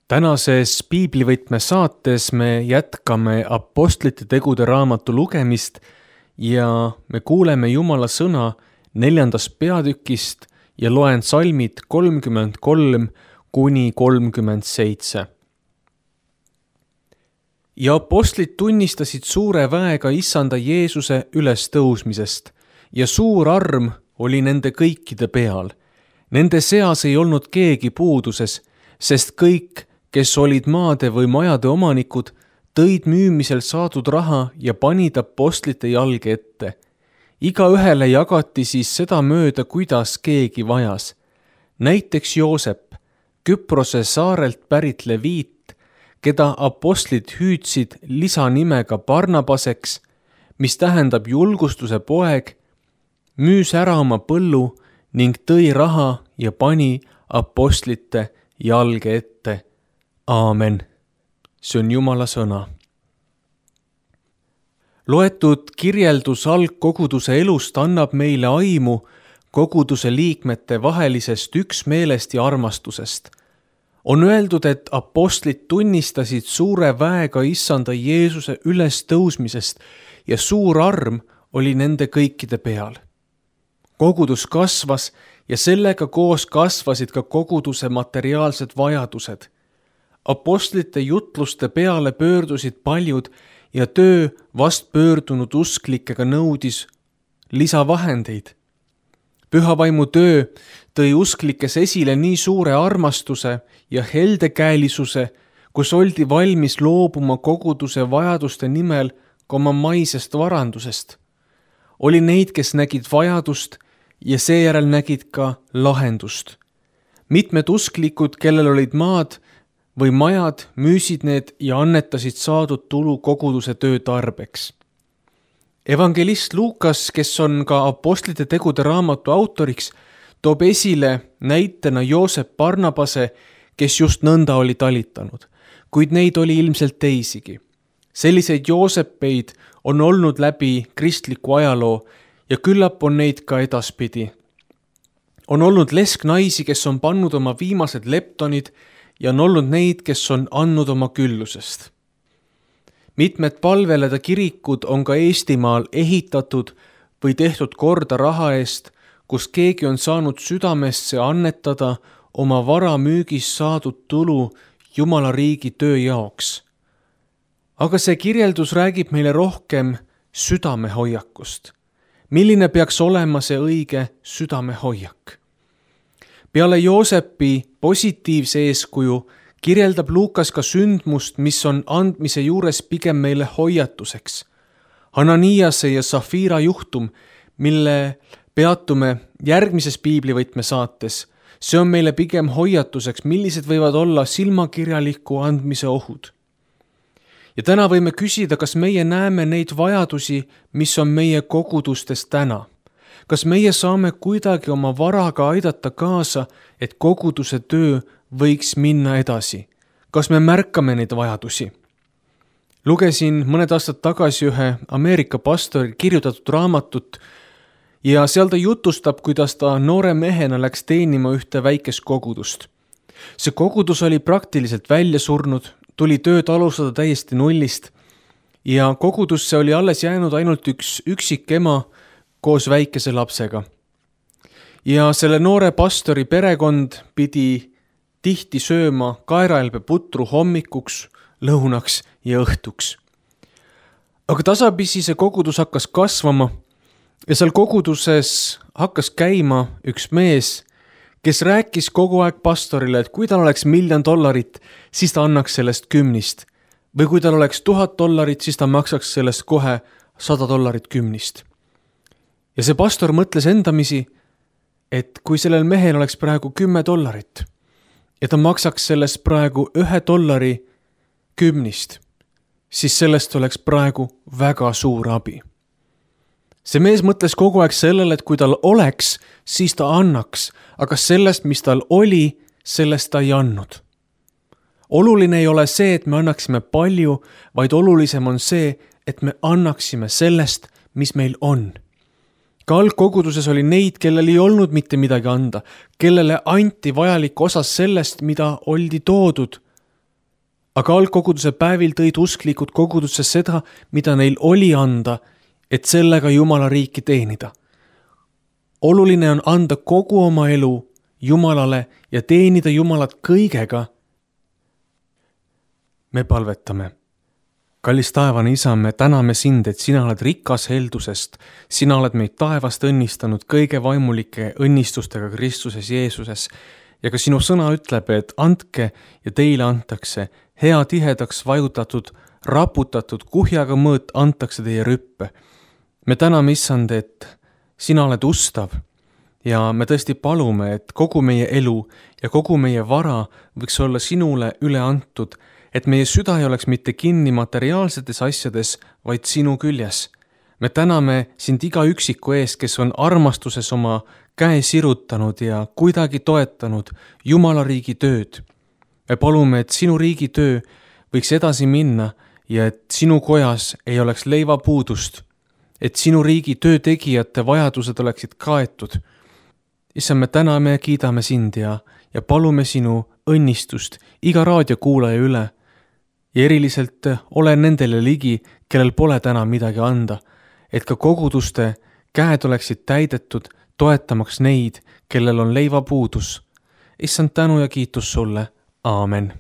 Tänases piiblivõtme saates me jätkame Apostlite tegude raamatu lugemist ja me kuuleme Jumala sõna 4. peatükist ja loen salmid 33 kuni 37. Ja apostlid tunnistasid suure väega Issanda Jeesuse ülestõusmisest ja suur arm oli nende kõikide peal. Nende seas ei olnud keegi puuduses, sest kõik, kes olid maade või majade omanikud, tõid müümisel saadud raha ja panid apostlite jalge ette. Igaühele jagati siis seda mööda, kuidas keegi vajas. Näiteks Joosep, Küprose saarelt pärit leviit, keda apostlid hüüdsid lisanimega Barnabaseks, mis tähendab julgustuse poeg, müüs ära oma põllu ning tõi raha ja pani apostlite jalge ette. Aamen. See on Jumala sõna. Loetud kirjeldus algkoguduse elust annab meile aimu koguduse liikmete vahelisest üksmeelest ja armastusest. On öeldud, et apostlid tunnistasid suure väega Issanda Jeesuse ülestõusmisest ja suur arm oli nende kõikide peal. Kogudus kasvas ja sellega koos kasvasid ka koguduse materiaalsed vajadused. Apostlite jutluste peale pöördusid paljud ja töö vast pöördunud usklikega nõudis lisavahendeid. Pühavaimu töö tõi usklikes esile nii suure armastuse ja heldekäelisuse, kus oldi valmis loobuma koguduse vajaduste nimel ka oma maisest varandusest. Oli neid, kes nägid vajadust ja seejärel nägid ka lahendust. Mitmed usklikud, kellel olid maad või majad, müüsid need ja annetasid saadud tulu koguduse töö tarbeks. Evangelist Luukas, kes on ka Apostlite tegude raamatu autoriks, toob esile näitena Joosep Barnabase, kes just nõnda oli talitanud, kuid neid oli ilmselt teisigi. Selliseid Joosepeid on olnud läbi kristliku ajaloo ja küllap on neid ka edaspidi. On olnud lesknaisi, kes on pannud oma viimased leptonid ja on olnud neid, kes on andnud oma küllusest. Mitmed palveleda kirikud on ka Eestimaal ehitatud või tehtud korda raha eest, kus keegi on saanud südamesse annetada oma vara müügis saadud tulu Jumala riigi töö jaoks. Aga see kirjeldus räägib meile rohkem südamehoiakust. Milline peaks olema see õige südamehoiak? Peale Joosepi positiivse eeskuju kirjeldab Luukas ka sündmust, mis on andmise juures pigem meile hoiatuseks. Hananiase ja Safira juhtum, mille peatume järgmises piiblivõtme saates, see on meile pigem hoiatuseks, millised võivad olla silmakirjaliku andmise ohud. Ja täna võime küsida, kas meie näeme neid vajadusi, mis on meie kogudustes täna. Kas meie saame kuidagi oma varaga aidata kaasa, et koguduse töö võiks minna edasi? Kas me märkame neid vajadusi? Lugesin mõned aastad tagasi ühe Ameerika pastori kirjutatud raamatut ja seal ta jutustab, kuidas ta noore mehena läks teenima ühte väikest kogudust. See kogudus oli praktiliselt välja surnud, tuli tööd alustada täiesti nullist ja kogudusse oli alles jäänud ainult üks üksik ema koos väikese lapsega. Ja selle noore pastori perekond pidi tihti sööma kaeraelbe putru hommikuks, lõunaks ja õhtuks. Aga tasapisi see kogudus hakkas kasvama ja seal koguduses hakkas käima üks mees, kes rääkis kogu aeg pastorile, et kui tal oleks $1 000, siis ta annaks sellest 10. Või kui tal oleks $1000, siis ta maksaks sellest kohe $100 10. Ja see pastor mõtles endamisi, et kui sellel mehel oleks praegu $10 ja ta maksaks sellest praegu $1 10, siis sellest oleks praegu väga suur abi. See mees mõtles kogu aeg sellele, et kui tal oleks, siis ta annaks, aga sellest, mis tal oli, sellest ta ei andnud. Oluline ei ole see, et me annaksime palju, vaid olulisem on see, et me annaksime sellest, mis meil on. Ka algkoguduses oli neid, kellel ei olnud mitte midagi anda, kellele anti vajalik osa sellest, mida oldi toodud aga algkoguduse päevil tõid usklikud kogudusse seda, mida neil oli anda, et sellega Jumala riiki teenida. Oluline on anda kogu oma elu Jumalale ja teenida Jumalat kõigega. Me palvetame. Kallis taevane Isa, me täname sind, et sina oled rikas heldusest. Sina oled meid taevast õnnistanud kõige vaimulike õnnistustega Kristuses Jeesuses. Ja ka sinu sõna ütleb, et andke ja teile antakse. Hea tihedaks vajutatud, raputatud, kuhjaga mõõt antakse teie rüppe. Me täname, Issand, et sina oled ustav ja me tõesti palume, et kogu meie elu ja kogu meie vara võiks olla sinule üle antud, et meie süda ei oleks mitte kinni materiaalsetes asjades, vaid sinu küljes. Me täname sind iga üksiku eest, kes on armastuses oma käe sirutanud ja kuidagi toetanud Jumala riigi tööd. Me palume, et sinu riigi töö võiks edasi minna ja et sinu kojas ei oleks leivapuudust, et sinu riigi töö tegijate vajadused oleksid kaetud. Issand, me täname ja kiidame sind ja palume sinu õnnistust iga raadiokuulaja üle ja eriliselt ole nendele ligi, kellel pole täna midagi anda, et ka koguduste käed oleksid täidetud, toetamaks neid, kellel on leivapuudus. Issand, tänu ja kiitus sulle. Aamen.